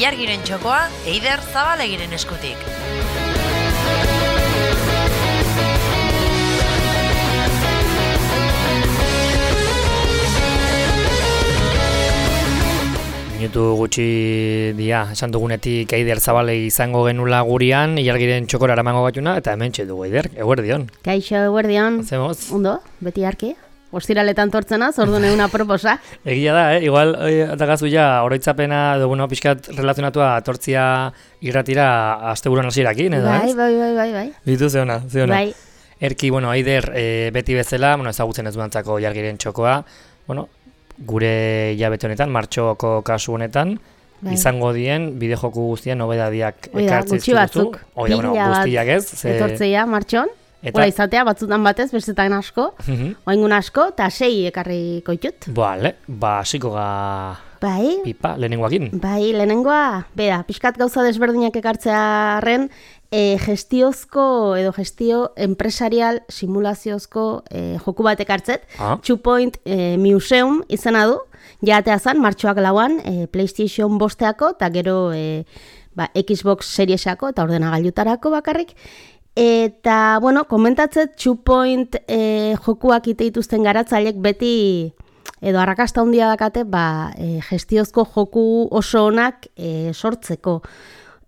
Ilargiren txokoa, Eider Zabalegiren eskutik. Minutu gutxi dia, esan dugunetik Eider Zabalegi izango genula gurian, Ilargiren txokora eramango batuna, eta hemen txedugu Eider, eguerdion. Kaixo, eguerdion. Hacemos? Ondo, beti arki. Ostiraletan tortzenaz, orduan eguna proposa. Egia da, igual, atagazu ja, oroitzapena, dugu pixkat relazionatua tortzia irratira asteburuan hasierakin, edo ez? Bai. Bitu zeona. Bai. Erki, Eider, beti bezala, ezagutzen ez duantzako Ilargiren txokoa, gure hilabete honetan, martxoko kasu honetan, izango dien, bideojoku guztien nobedadiak ekartzen gutxi batzuk. Guztiak ez. Etortzeia, martxon. Hora izatea, batzutan batez, bestetan asko, oaingun asko, eta 6 ekarri koitut. Bale, hasiko ga pipa, lehenengoakin. Bai, lehenengoa, bera, pixkat gauza desberdinak ekartzearen, gestiozko edo gestio empresarial simulaziozko joku bat ekartzet. 2 Point Museum izena du, jatea zan, martxoak lauan, PlayStation bosteako, eta gero Xbox Seriesako, eta ordenagailutarako bakarrik. Eta, komentatzet 2 Point jokuak iteituzten garatzailek beti edo arrakasta handia dakate, gestiozko joku oso onak sortzeko.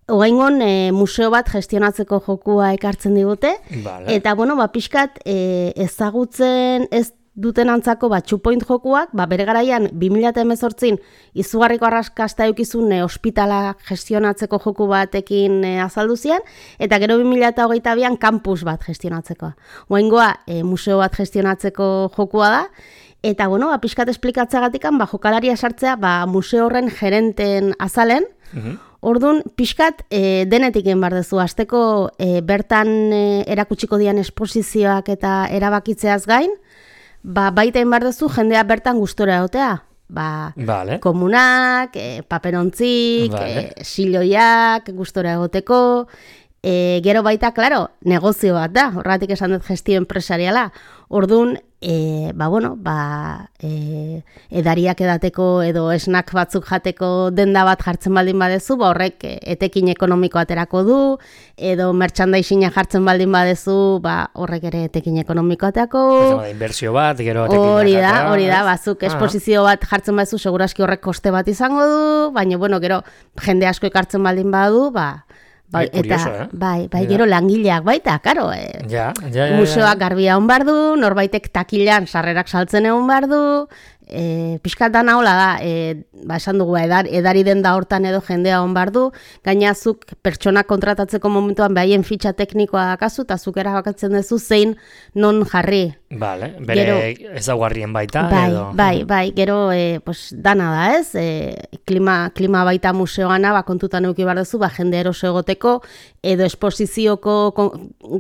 Oraingon museo bat gestionatzeko jokua ekartzen digute, eta, pixkat ezagutzen ez duten antzako 2 Point jokuak, bere garaian 2018 izugarriko arrakasta eukizun ospitala gestionatzeko joku batekin azaldu zian, eta gero 2022an campus bat gestionatzeko. Oraingoa museo bat gestionatzeko jokua da, eta pixkat esplikatzagatik jokalaria sartzea museo horren gerenten azalen. Orduan, pixkat denetik egin behar duzu, hasteko bertan erakutsiko dian esposizioak eta erabakitzeaz gain, baita egin behar duzu jendea bertan gustora egotea. Komunak, paperontzik, siloiak gustora egoteko, gero baita, klaro, negozio bat da, horregatik esan dut gestio empresariala. Orduan, edariak edateko edo snack batzuk jateko denda bat jartzen baldin badezu, horrek etekin ekonomiko aterako du, edo merchandising jartzen baldin badezu, horrek ere etekin ekonomiko aterako. Inbertsio bat, gero etekin jatea. Hori da, bazuk esposizio bat jartzen badezu, seguraski horrek koste bat izango du, baina, gero jende asko ekartzen baldin badu, gero langileak baita, karo. Museoak garbia hon bardu, norbaitek takilan sarrerak saltzen egon bardu, pixkat dana hola da, esan dugu, edari denda hortan edo jendea hon bardu, gainazuk pertsonak kontratatzeko momentuan behaien fitxa teknikoa dakazu, eta zuk erabakatzen duzu zein non jarri. Bere ezaugarrien baita. Bai, gero dana da ez, klima baita museoana, kontutan euki behar duzu, jende eroso egoteko, edo esposizioko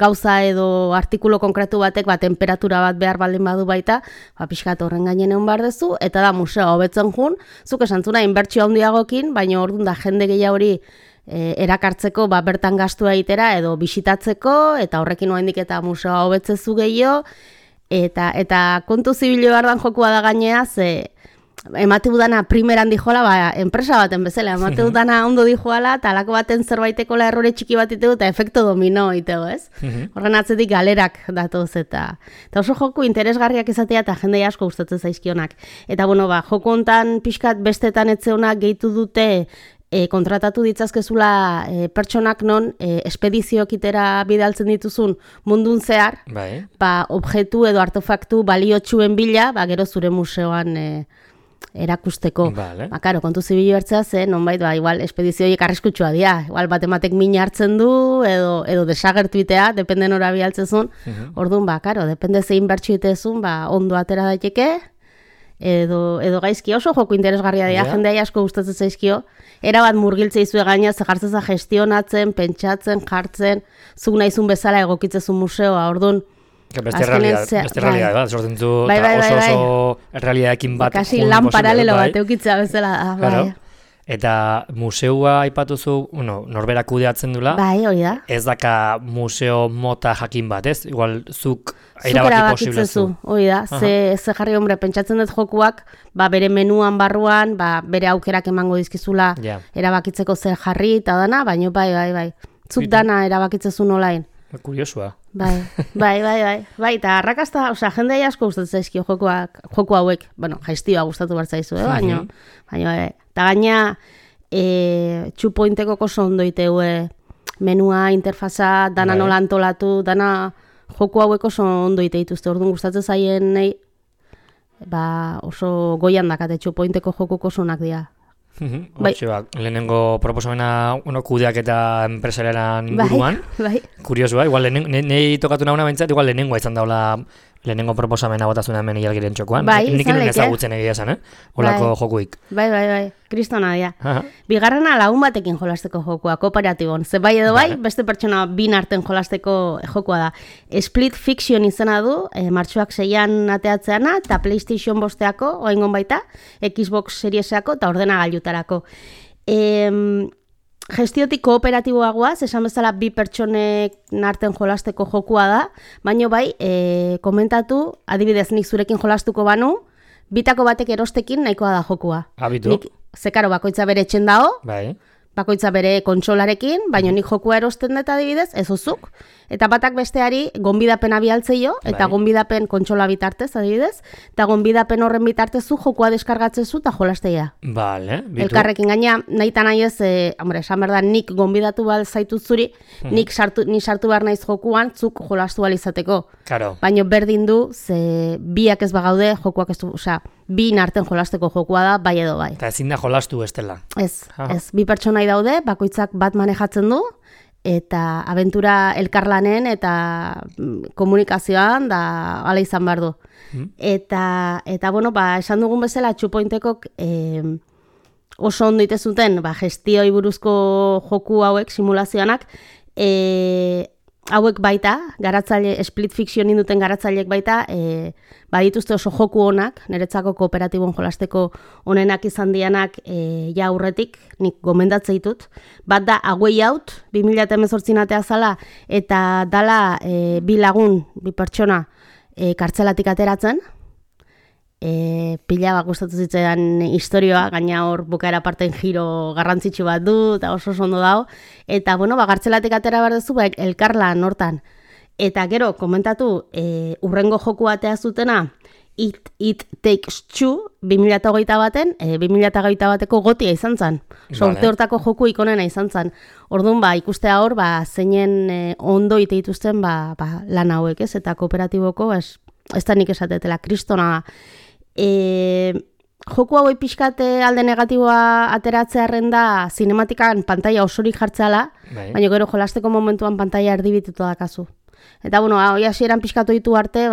gauza edo artikulo konkretu batek, temperatura bat behar baldin badu baita, pixkat horren gainen egon behar duzu, eta da museoa hobetzen jun, zuk esantzuna inbertsio handiagokin, baina orduan da jende gehiago hori erakartzeko bertan gastua egitera edo bisitatzeko, eta horrekin oraindik eta museoa hobetzezu gehiago, eta kontu zibilo bardan jokua da gainea, emate dudana primeran dijoala, enpresa baten bezala, emate dudana ondo dijoala, eta alako baten zerbaitekola errore txiki bat itegu, eta efekto domino itegu, ez? Horren atzetik galerak datoz, eta oso joku interesgarriak izatea, eta jendei asko gustatzen zaizkionak. Eta, joku hontan pixkat bestetan etzeonak gehitu dute, kontratatu ditzazkezula pertsonak non espediziokitera bidaltzen dituzun mundun zehar, objektu edo artefaktu baliotsuen bila, gero zure museoan erakusteko. Karo, kontu zibilo hartzea zen, nonbait, igual, espedizioiek arriskutsua dira. Igual, batematek min hartzen du, edo desagertuitea, depende nora bialtzezun. Orduan, karo, depende zein bertxuitezun, ondo atera daiteke, edo gaizki oso joku interesgarria dira, jendea asko gustatzen zaizkio. Erabat murgiltze izue gaina, zehartzeza gestionatzen, pentsatzen, jartzen, zuk nahizun bezala egokitzezun museoa, orduan. Beste realidade bat, sortzen zu, oso realidadekin bat. Kasi lan paralelo bat eukitzea bezala da. Eta museua aipatuzu, norberak kudeatzen dula. Hori da. Ez daka museo mota jakin bat, ez? Igual, zuk erabakitzezu, hori da, ze jarri hombre, pentsatzen dut jokuak, bere menuan barruan, bere aukerak emango dizkizula erabakitzeko zer jarri eta dana, baina bai, zuk dana erabakitzezu nolain. Kuriosua. Bai, eta arrakasta, jende asko gustatzen zaizkio joku hauek, jaiztioa gustatu bertzaizu, baina, eta gaina, txupointeko oso ondo iteue, menua, interfaza, dana nola antolatu, dana joku hauek oso ondo ite dituzte, orduan gustatzen zaien nahi, oso goian dakate txupointeko jokuko oso onak dira. Lehenengo proposamena kudeak eta enpresariaren inguruan. Kuriosua, igual nahi tokatu nahuna bentsat, igual lehenengoa izan daula lehenengo proposamena botazuna hemen Ilargiren txokoan. Nik inen ezagutzen egia esan, Olako jokuik. Bai, kristona dira. Bigarrena lagun batekin jolasteko jokua, kooperatibon. Ze bai edo bai, beste pertsona bin arten jolasteko jokua da. Split Fiction izena du, martxoak 6an ateatzeana, eta PlayStation 5eako, oengon baita, Xbox Seriesako eta ordenagailutarako. Gestiotik kooperatiboagoaz, esan bezala bi pertsonek narten jolasteko jokua da, baina bai, komentatu, adibidez nik zurekin jolastuko banu, bitako batek erostekin nahikoa da jokua. Abitu. Zekaro, bakoitza bere etxen dao, bai. Bakoitza bere kontsolarekin, baina nik jokua erosten dut adibidez, ez ozuk. Eta batak besteari gonbidapena bialtzeio, eta gonbidapen kontsola bitartez adibidez, eta gonbidapen horren bitartezu jokua deskargatzezu eta jolasteia. Vale, bitu. Elkarrekin gaina, nahi eta nahi ez, esan behar da, nik gonbidatu bal zaitut zuri, ni sartu behar naiz jokuan, zuk jolastu bal izateko. Claro. Baina berdin du, ze biak ez bagaude, jokuak ez du, bi narten jolasteko jokua da, bai edo bai. Eta ezin da jolastu bestela. Ez, bi pertsonai daude, bakoitzak bat manejatzen du, eta abentura elkarlanen eta komunikazioan da hala izan behar du. Eta esan dugun bezala txupointekok oso ondo ite zuten, gestioi buruzko joku hauek, simulazioanak, hauek baita, garatzaile, Split Fiction induten garatzaileek baita, badituzte oso joku onak, niretzako kooperatibon jolasteko onenak izan dianak ja aurretik, nik gomendatze ditut. Bat da, A Way Out, 2018 atea zala, eta dala bi lagun, bi pertsona, kartzelatik ateratzen, pila gustatu zitzaidan historioa, gaina hor bukaera parten giro garrantzitsu bat du, eta oso ondo dago, eta gartzelatik atera behar duzu, elkarlan hortan. Eta gero, komentatu, urrengo joku atea zutena, It Takes Two, 2008 baten, 2008 bateko gotia izan zen. Sorte hortako joku ikonena izan zen. Orduan, ikustea hor, zeinen ondo ite dituzten lan hauek, ez? Eta kooperatiboko, ez da nik esatetela, kristona da. Joku hauek pixkate alde negatiboa ateratzearen da zinematikan pantaila osorik jartzeala, baina gero jolasteko momentuan pantaila erdibitutu dakazu. Eta, hoi hasieran pixkatu ditu arte,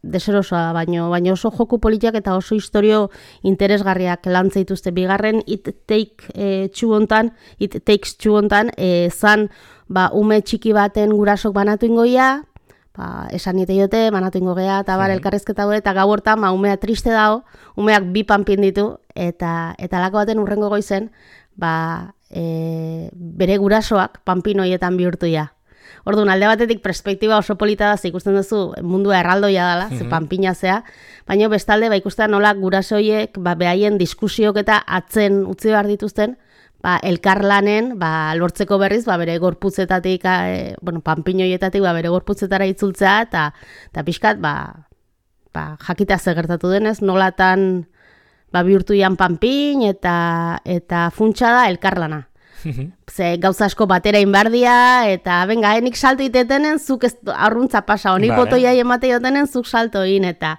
deserosoa da, baina oso joku politiak eta oso historio interesgarriak lantze dituzte. Bigarren, It Takes Two hontan, zan, ume txiki baten gurasok banatu ingoia, esan nite jote, banatu ingo gea, eta elkarrezketa gure, eta gau hortan, umea triste dago, umeak bi panpin ditu, eta lako baten urrengo goizen, bere gurasoak panpin hoietan bihurtuia. Orduan, alde batetik perspektiba oso polita da, ikusten duzu mundua erraldoia dela, ze panpina zea, baina bestalde, ikusten nola gurasoiek, behaien diskusiok eta atzen utzi behar dituzten, elkarlanen, lortzeko berriz, bere gorputzetatik, panpinoietatik, bere gorputzetara itzultzea, eta pixkat, jakita gertatu denez, nolatan bihurtu ian panpin, eta funtsa da elkarlana. Ze gauza asko batera inbardia, eta benga, nik salto itetenen, zuk arruntza pasa, honik botoia emate jotenen, zuk salto in, eta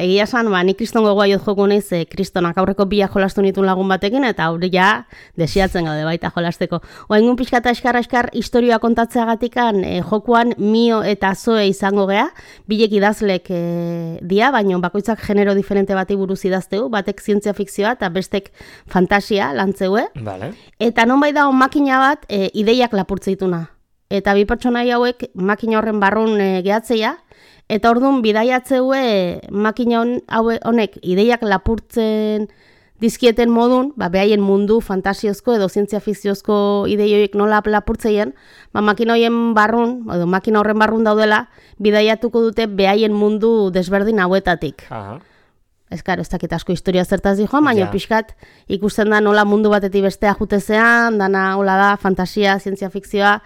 egia esan, nik kriston gogoa jot joko nahiz, kristonak aurreko bila jolastu nituen lagun batekin, eta hori ja desiatzen gaude baita jolasteko. Oaingun pixkata eskar historioa kontatzeagatikan, jokuan Mio eta Zoe izango gea, bilek idazlek dia, baina bakoitzak genero diferente bati buruz idazteu, batek zientzia fikzioa eta bestek fantasia lantzeue. Vale. Eta nonbait dago makina bat ideiak lapurtze dituna. Eta bi pertsonai hauek makina horren barrun gehatzeia, eta orduan bidaiatzeue makina honek ideiak lapurtzen dizkieten modun, behaien mundu fantasiozko edo zientzia fikziozko ideioik nola lapurtzeien, makina horien barrun, edo makina horren barrun daudela, bidaiatuko dute behaien mundu desberdin hauetatik. Ez dakit asko historia zertaz dijoan, baina pixkat ikusten da nola mundu batetik bestea jutezean, dana hola da, fantasia, zientzia fikzioa,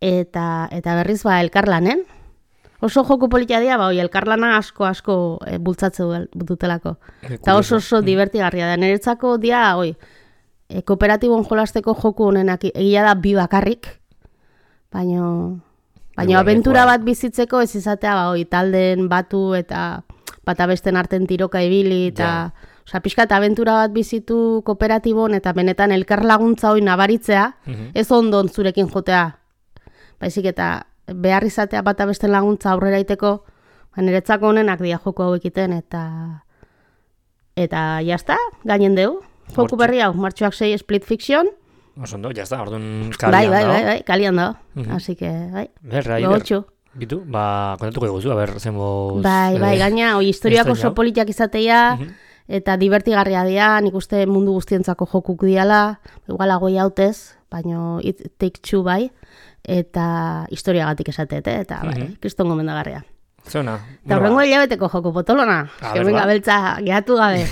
eta berriz elkarlanen. Oso joku politia dira, elkarlana asko bultzatze dutelako. Eta oso divertigarria da. Niretzako dia, kooperatibon jolasteko joku honenak egia da bi bakarrik, baina abentura bat bizitzeko ez izatea, talden batu eta bata besten arten tiroka ibili, eta pixkat abentura bat bizitu kooperatibon, eta benetan elkarlaguntza nabaritzea, ez ondon zurekin jotea, baizik eta behar izatea bata besten laguntza aurrera iteko, niretzako honenak dia joko hau ekiten, eta jazta, gainen deu. Joku berri hau, martxoak 6 Split Fiction. Osondo, jazta, orduan kalian dago. Bai, kalian dago. Así que, gogotxu. Bitu, kontatuko eguzu, zenboz... Bai, gaina, historiak oso politiak izatea, eta divertigarria dira, nik uste mundu guztientzako jokuk diala, igual agoi hautez, baina it take two bai, eta historiagatik esatet, eta kriston gomendagarria. Zona. Eta horrengo hilabeteko joku potolona, venga beltza, gehatu gabe.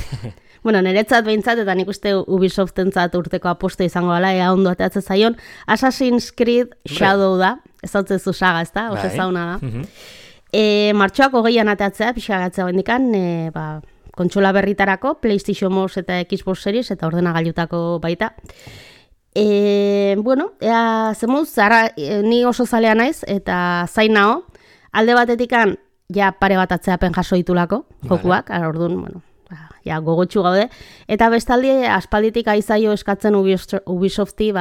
Niretzat behintzat, eta nik uste Ubisoftentzat urteko aposto izango dela, ea ondo ateatzen zaion, Assassin's Creed Shadow da, ez dautzezu saga, ez da, oso zauna da. Martxoak 20an ateatzea, pixagatzea bendikan, kontsola berritarako, PlayStation Mos eta Xbox Series, eta ordenagailutako baita. Zemuz, ni oso zalea naiz, eta zain nao, alde batetikan, pare bat atzeapen jaso ditulako, jokuak, orduan, gogotxu gaude, eta bestaldi aspalditik aizaio eskatzen Ubisofti,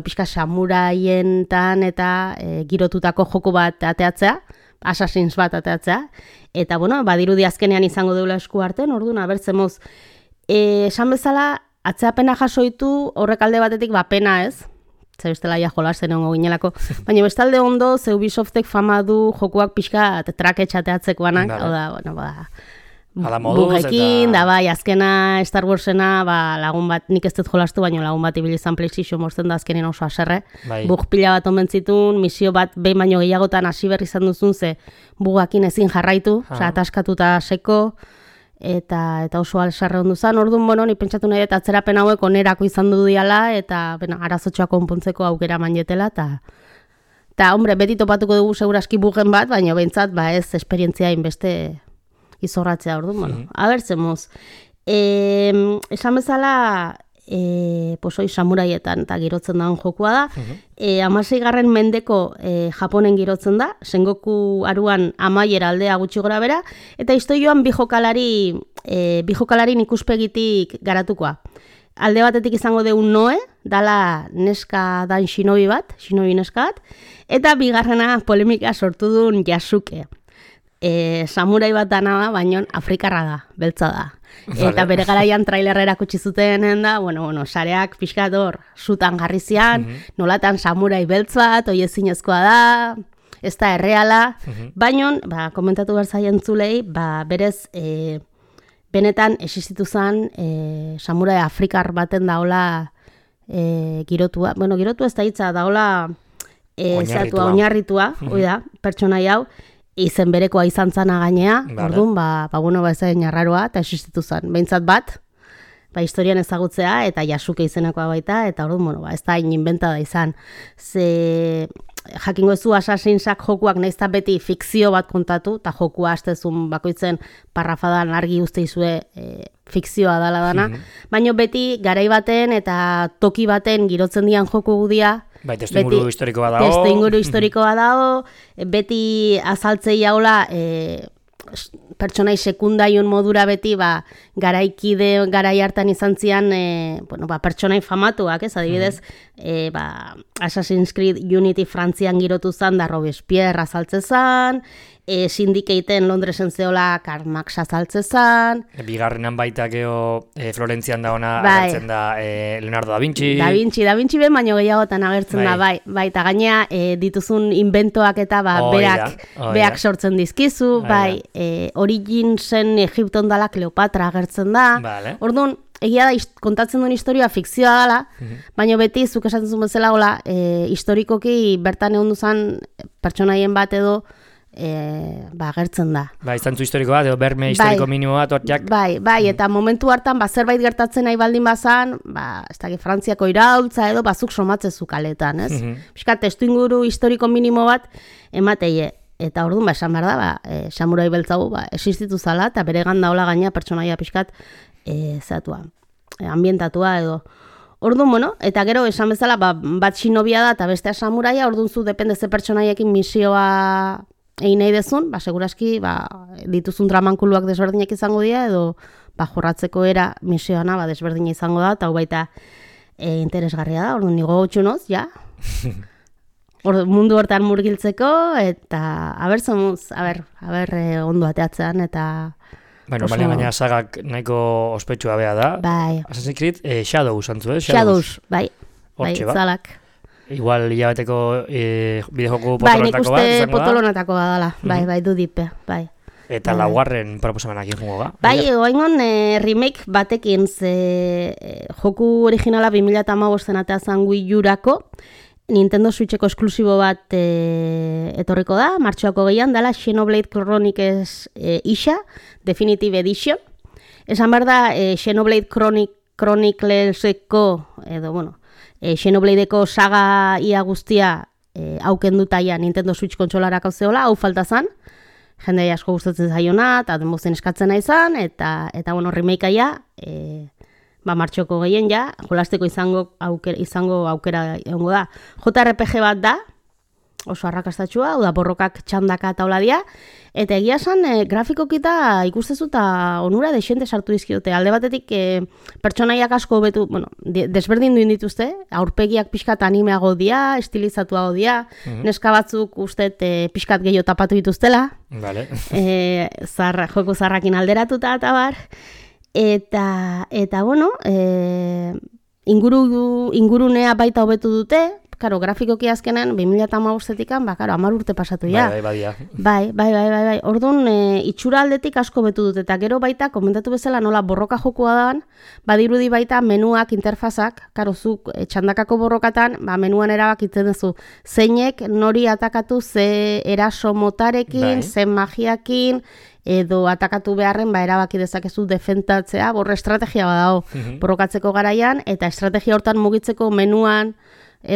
pixka samuraientan eta girotutako joku bat ateatzea, Assassin's bat ateatzea, eta badirudi azkenean izango deula esku artean, orduan, abertzemuz, esan bezala, atzeapena jasoitu horrek alde batetik pena ez, ze bestela jolasten ongo ginelako, baina bestalde ondo ze Ubisoftek fama du jokuak pixka traketxateatzekoanak, hau da, bugekin, da azkena Star Warsena, lagun bat, nik ez dut jolastu, baina lagun bat ibilizan PlayStation mortzen da azkenen oso aserre, bug pila bat omen zitun, misio bat behin baino gehiagotan hasi berri izan duzun ze bugakin ezin jarraitu, ataskatuta seko, eta oso alsarre ondu zen, orduan, ni pentsatu nahi eta atzerapen hauek onerako izan du diala, eta arazotxoa konpontzeko aukera manjetela, eta hombre, beti topatuko dugu seguraski bugen bat, baina behintzat, ez esperientzia inbeste izorratzea orduan, abertzemuz. Esan bezala, samuraietan eta girotzen dagoen jokua da, 16. mendeko Japonen girotzen da, Sengoku aruan amaiera aldea gutxi gora bera, eta historioan bi jokalarin ikuspegitik garatukoa. Alde batetik izango deun Noe, dala neska dan shinobi neska bat, eta bigarrena polemika sortu duen Yasuke. Samurai bat dana da, baina afrikarra da, beltza da. Eta bere garaian trailerra erakutsi zuten da, sareak pixkat hor sutan jarri zian, nolatan samurai beltz bat, oiezinezkoa da, ez da erreala, baina, komentatu behar zaien zulei, berez, benetan existitu zen samurai afrikar baten daola girotua, girotua ez da hitza, daola oinarritua, pertsonai hau, izen berekoa izan zana gainea, orduan, ez da narraroa, eta existitu zen. Behintzat bat, historian ezagutzea, eta Yasuke izenekoa baita, eta orduan, ez da inventa da izan. Ze jakingo ezu Assassinsak jokuak naizta beti fikzio bat kontatu, eta jokua hastezun bakoitzen parrafadan argi uste izue fikzioa dala dana, baina beti garai baten eta toki baten girotzen dian joku gudia, testu inguru historikoa dago. Testu inguru historikoa dago, beti azaltzei haula pertsonai sekundaion modura beti garaikide garai hartan izan zian pertsonai famatuak, ez adibidez, Assassin's Creed Unity Frantzian girotu zan da Robespierre azaltze zan, Syndicateen Londresen zeola Karl Marx azaltze zan. Bigarrenan baita geho Florentzian da ona agertzen da Leonardo da Vinci. Da Vinci ben baino gehiagotan agertzen da, eta gainea dituzun inventoak eta berak sortzen dizkizu, Origin zen Egipton dala Kleopatra agertzen da. Orduan, egia da kontatzen duen historia fikzioa dela, baina beti zuk esaten zuen bezala hola, historikoki bertan egon duzan pertsonaien bat edo gertzen da. Bai, zantzu historiko bat, edo berme historiko minimo bat, orteak. Bai, eta momentu hartan, zerbait gertatzen nahi baldin bazan, ez dakit Frantziako iraultza edo, zuk somatzezu kaletan, ez? Piskat, testu inguru historiko minimo bat, emateie. Eta orduan, esan behar da, samurai beltzago, existitu zala, eta bere ganda hola gaina pertsonaia piskat, ambientatua edo. Orduan, bueno, eta gero esan bezala, bat shinobia da, eta bestea samuraia, orduan zu depende ze pertsonaiekin misioa egin nahi dezun, seguraski, dituzun dramankuluak desberdinak izango dira, edo, jorratzeko era misioana, desberdina izango da, eta hau baita interesgarria da, orduan, nigo gotxunoz, ja. Mundu hortan murgiltzeko, eta, ondo ateatzean, eta... Bueno, baina sagak nahiko ospetsua bea da. Bai. Assassin's Creed, Shadows, antzu, Shadows, bai, zalak. Igual hilabeteko bideojoku potolonetako bat, bai, nik uste potolonetako bat dala, bai, du dipe, bai. Eta laugarren proposamenak ingo ga? Bai, oingon remake batekin, joku originala 2015 ateazan Wii U-rako, Nintendo Switcheko esklusibo bat etorriko da, martxoako gehian, dela Xenoblade Chronicles isa, Definitive Edition. Esan behar da, Xenoblade Chronicleseko, edo, bueno, Xenobladeko saga ia guztia haukendutaia Nintendo Switch kontsolarak hau zehola, hau falta zan, jende asko gustatzen zaiona, eta denbozen eskatzen nahi zan, eta bueno, remakeaia, martxoko gehien ja, jolasteko izango aukera egongo da. JRPG bat da, oso arrakastatxua, hau da borrokak txandaka eta hola dia, eta egia esan grafikokita ikustezu eta onura desente sartu dizkiote. Alde batetik pertsonaiak asko betu, bueno, desberdin duen dituzte, aurpegiak pixkat animeago dia, estilizatuago dia, neska batzuk ustet pixkat gehiago tapatu dituztela, vale. Joko zarrakin alderatuta eta bar, eta bueno, ingurunea baita hobetu dute, karo, grafikoki azkenan, 2015-etik, 10 urte pasatu ja. Bai. Orduan, itxura aldetik asko betu dut, eta gero baita, komentatu bezala nola borroka jokua dan, badirudi baita menuak, interfazak, karo, zuk txandakako borrokatan, menuan erabakitzen duzu, zeinek nori atakatu ze eraso motarekin, ze magiakin, edo atakatu beharren, erabaki dezakezu defentatzea, borre estrategia badago borrokatzeko garaian, eta estrategia hortan mugitzeko menuan,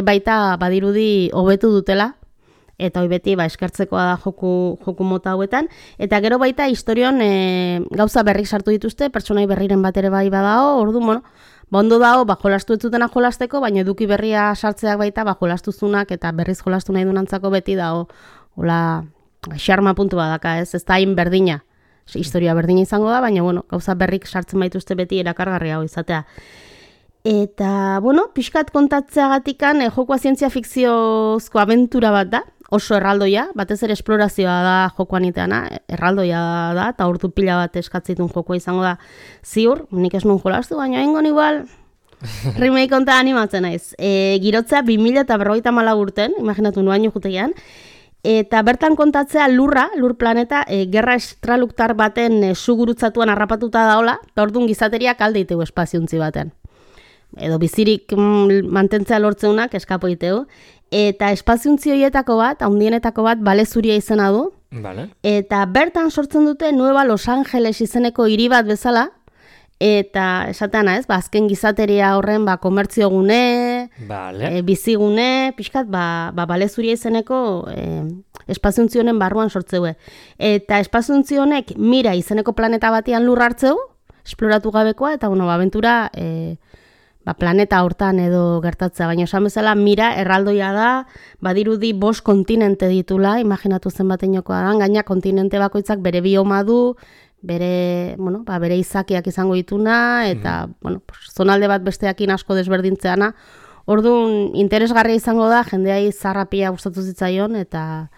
baita badirudi hobetu dutela, eta hoi beti eskertzekoa da joku mota hauetan, eta gero baita historion gauza berrik sartu dituzte, pertsonai berriren bat ere bai badao, orduan, bueno, ondo dago, jolastu etzutena jolasteko, baina eduki berria sartzeak baita, jolastuzunak eta berriz jolastu nahi dunantzako beti dago, hola, xarma puntu badaka, ez da hain berdina, historia berdina izango da, baina, bueno, gauza berrik sartzen baituzte beti erakargarria hau izatea. Eta, bueno, pixkat kontatzeagatikan, jokoa zientzia fikziozko abentura bat da, oso erraldoia, batez ere esplorazioa da jokoan iteana, erraldoia da, eta ordu pila bat eskatzitun jokoa izango da ziur, nik ez nun jolastu, baina hengon igual, remake konta animatzen naiz. Girotzea 2054 urten, imaginatu nuaino jutegian, eta bertan kontatzea lur planeta, gerra estraluktar baten sugurutzatuan harrapatuta daola, eta orduan gizateriak alde iteu espaziontzi baten. Edo bizirik mantentzea lortzeunak eskapo iteu. Eta espaziontzi horietako bat, handienetako bat, balezuria izena du. Vale. Eta bertan sortzen dute Nueva Los Angeles izeneko hiri bat bezala, eta esatean ez, azken gizateria horren komertzio gune, vale. Bizigune, pixkat, balezuria izeneko espaziontzi honen barruan sortzeue. Eta espaziontzi honek Mira izeneko planeta batean lur hartzeu, esploratu gabekoa, eta abentura planeta hortan edo gertatzea, baina esan bezala Mira erraldoia da, badirudi 5 kontinente ditula, imaginatu zenbateinokoa da, gaina kontinente bakoitzak bere bioma du, bere izakiak izango dituna, eta zonalde bat besteakin asko desberdintzeana. Orduan, interesgarria izango da, jendeai zarrapia gustatu zitzaion, eta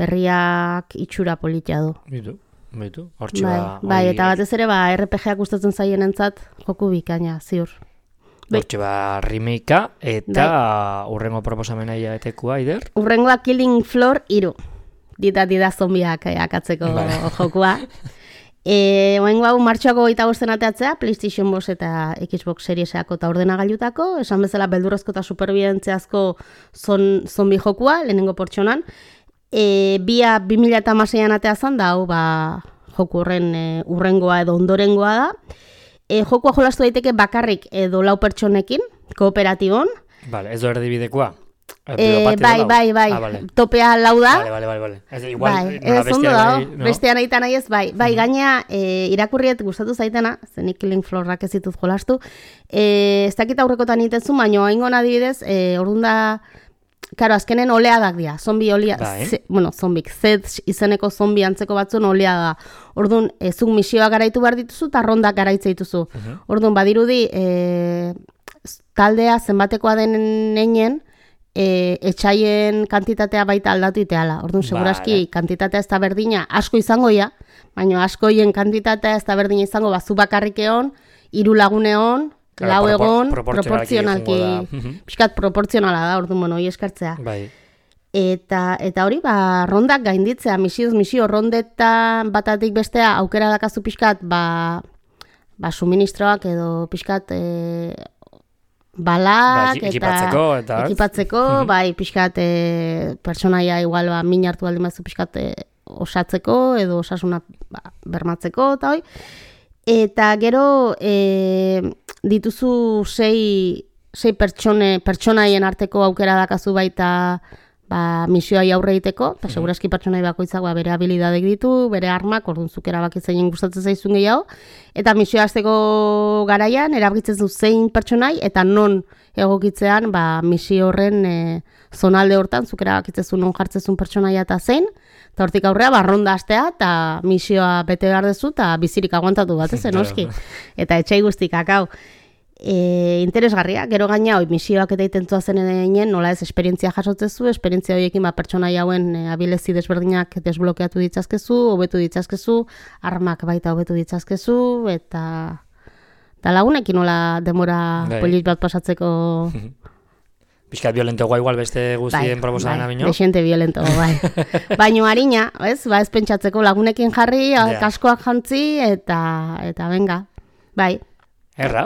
berriak itxura politia du. Bitu, hortxe ba... Bai, eta batez ere, RPG-ak gustatzen zaien entzat, joku bikaina, ziur. Hortxe remakea, eta urrengo proposamena iaetekua, Aider? Urrengoa Killing Floor 3. Dida zombiak akatzeko jokua. Oengo hau martxoako 25 ateatzea, PlayStation 5 eta Xbox Serieseako eta ordenagailutako, esan bezala beldurrezko eta superbidentziazko zombi jokua, lehenengo pertsonan. Bia 2016an ateazan da, hau joku horren urrengoa edo ondorengoa da. Jokua jolastu daiteke bakarrik edo 4 pertsonekin, kooperatibon. Vale, ez do erdibidekoa? Bai, vale. Topea 4 da. Vale. Ez igual, bestean aita nahi ez, bai. Bai, gaina irakurriet gustatu zaitena, zenik Link Florrak ez ditut jolastu. Ez dakit aurrekotan itezu, baina haingon adibidez, orduan da, karo, azkenen oleadak dira, zombi zombik, Zed izeneko zombi antzeko batzun olea da. Orduan, zuk misioa garaitu behar dituzu, eta rondak garaitza dituzu. Orduan, badirudi, taldea zenbatekoa den einen, etxaien kantitatea baita aldatu iteala. Orduan, seguraski, kantitatea ez da berdina, asko izango ia, baina askoien kantitatea ez da berdina izango, zu bakarrik egon, 3 lagun egon, 4 egon, proportzionalki, pixkat proportzionala da, orduan, hori eskartzea. Bai. Eta hori, rondak gainditzea, misio rondetan batatik bestea aukera dakazu pixkat, suministroak edo pixkat balak ekipatzeko, bai, pixkat pertsonaia igual min hartu baldin bazu pixkat osatzeko edo osasuna bermatzeko eta hoi. Eta gero dituzu 6 pertsonaien arteko aukera dakazu baita misioai aurre egiteko, eta seguraski pertsonai bakoitzak bere habilidadek ditu, bere armak, orduan zuk erabakitzein gustatzen zaizun gehiago, eta misioa hasteko garaian erabakitzen zu zein pertsonai, eta non egokitzean misio horren zonalde hortan, zuk erabakitzezu non jartzezun pertsonaia eta zein, eta hortik aurrea ronda hastea, eta misioa bete behar dezu, eta bizirik aguantatu bat ezen, oski. Eta etxai guztik akau. Interesgarria, gero gaina misioak eta itentzua zen eginen, nola ez esperientzia jasotzezu, esperientzia horiekin pertsonai hauen abilezi desberdinak desblokeatu ditzazkezu, hobetu ditzazkezu, armak baita hobetu ditzazkezu, eta lagunekin nola demora polit bat pasatzeko. Piskat violentogoa igual beste guztien proposamen abino. Dexente violentogo, bai. Baina harina, ez pentsatzeko lagunekin jarri, kaskoak jantzi, eta venga, bai. Erra,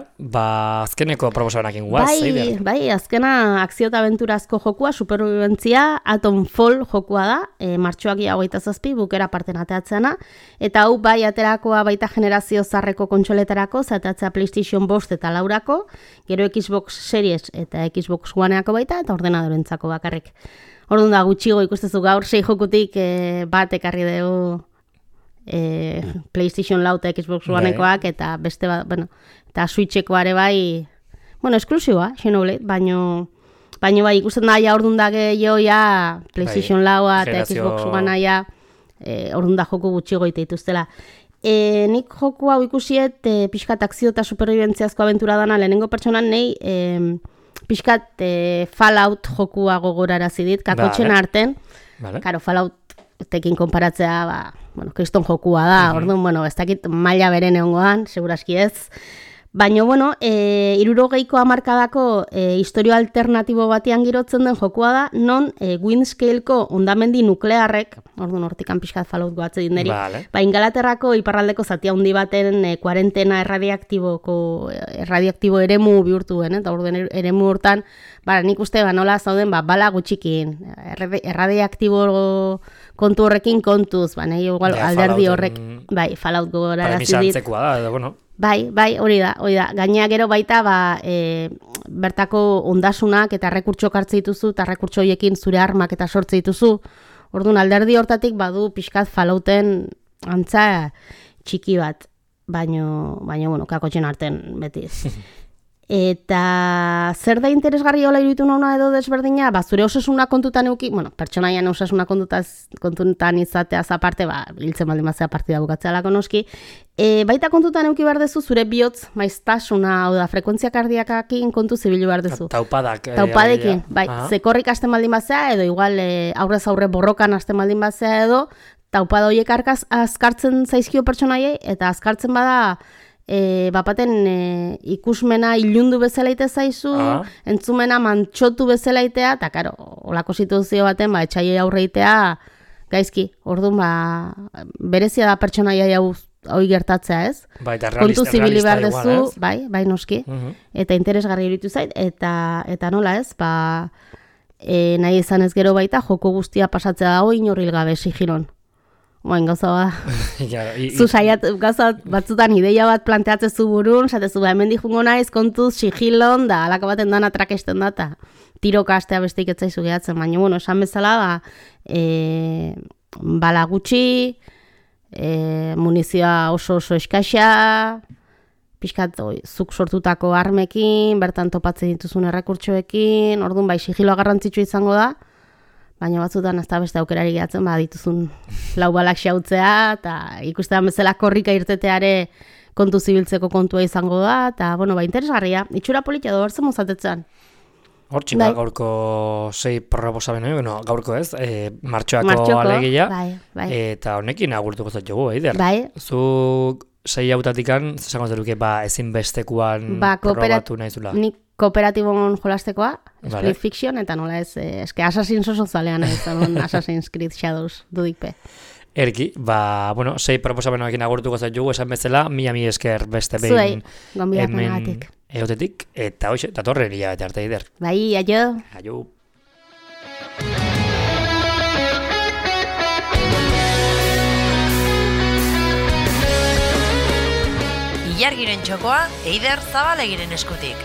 azkeneko proposamenakin guaz, Eider. Bai, azkena akzio eta abenturazko jokua, superviventzia, Atom Fall jokua da, martxoak 27, bukera parten ateatzeana, eta hau bai aterakoa baita generazio zarreko kontsoletarako, zatatzea PlayStation 5 eta 4ako, gero Xbox Series eta Xbox Oneako baita, eta ordenadorentzako bakarrik. Orduan da, gutxigo ikustezu gaur, 6 jokutik bat ekarri dugu PlayStation 4 eta Xbox Onekoak, eta beste bat, eta Switcheko ere bai, esklusiboa, Xenoblade, baino bai ikusten da ja orduan da gehiago ja PlayStation 4 eta Xbox Onea orduan da joku gutxigo ite dituztela. Nik joku hau ikusiet pixkat akzio eta superviventziazko abentura dana lehenengo pertsonan nahi pixkat Fallout jokua gogorarazi dit, kakotxen arten, karo Falloutekin konparatzea, kriston jokua da, orduan, ez dakit maila beren egongoan, seguraski ez. Baina, 60ko hamarkadako historio alternatibo batean girotzen den jokua da, non Windscale-ko ondamendi nuklearrek, orduan hortikan pixkat Fallout goatze dinderi, Ingalaterrako iparraldeko zati handi baten kuarentena erradioaktibo eremu bihurtuen, eta orduan eremu hortan, nik uste nola zauden bala gutxikin, erradioaktibo kontu horrekin kontuz, igual alderdi horrek, Fallout gogorarazi dit. Bai, hori da. Gainea gero baita, bertako ondasunak eta rekurtso hartze dituzu, eta rekurtso horiekin zure armak eta sortze dituzu. Orduan alderdi hortatik badu pixkat Fallouten antza txiki bat, baino kakotxen arten beti. Eta zer da interesgarri hola iruditu nona edo desberdina, zure osasuna kontutan euki, pertsonaian osasuna kontutan izateaz aparte, hiltzen baldin bazea partida bukatzea lako noski, baita kontutan euki behar dezu zure bihotz maiztasuna, hau da, frekuentzia kardiakakin kontu zibilu behar dezu. Taupadekin, zekorrik hasten baldin bazea, edo igual aurrez aurre borrokan hasten baldin bazea edo, taupada horiek azkartzen zaizkio pertsonaiei, eta azkartzen bada, bapaten ikusmena ilundu bezala ite zaizu, entzumena mantxotu bezala itea, eta karo, olako situazio baten, etxaiei aurre itea, gaizki, orduan, berezia da pertsonaia hoi gertatzea, ez? Bai, eta Kontu zibili behar igual, dezu, ez? bai noski, eta interesgarri iruditu zait, eta nola ez, nahi izan ez gero baita, joko guztia pasatzea dago inorril gabe sigiron. Oain gauza zu saiat gauza batzutan ideia bat planteatzezu burun, zatezu hemen dijungo naiz kontuz sigilon da alako baten dana trakesten data. Tiroka astea besteik etzaizu gehatzen, baina bueno, esan bezala bala gutxi, munizioa oso eskaxa, pixkat zuk sortutako armekin, bertan topatzen dituzun errekurtsoekin, orduan bai sigiloa garrantzitsua izango da, baina batzutan ez da beste aukerari gehatzen, dituzun lau balak xautzea, eta ikustean bezala korrika irteteare kontu zibiltzeko kontua izango da, eta interesgarria, itxura politia da bertzen mozatetzen. Hortxin gaurko 6 proposamen hori, gaurko ez, martxoako alegia, eta honekin agurtuko zat jogu, Eider. Bai. Zuk 6 hautatikan, zesango zeruke, ezinbestekuan probatu nahi zula. Nik kooperatibon jolastekoa, Split Fiction, eta nola ez, eske Assassin's oso zalean ez, Assassin's Creed Shadows dudikpe. Erki, 6 proposamenoekin agurtuko zat jogu, esan bezala, mi esker beste behin hemen egotetik, eta hoxe, datorren hilabete arte, Eider. Bai, aio. Aio. Ilargiren txokoa, Eider Zabalegiren eskutik.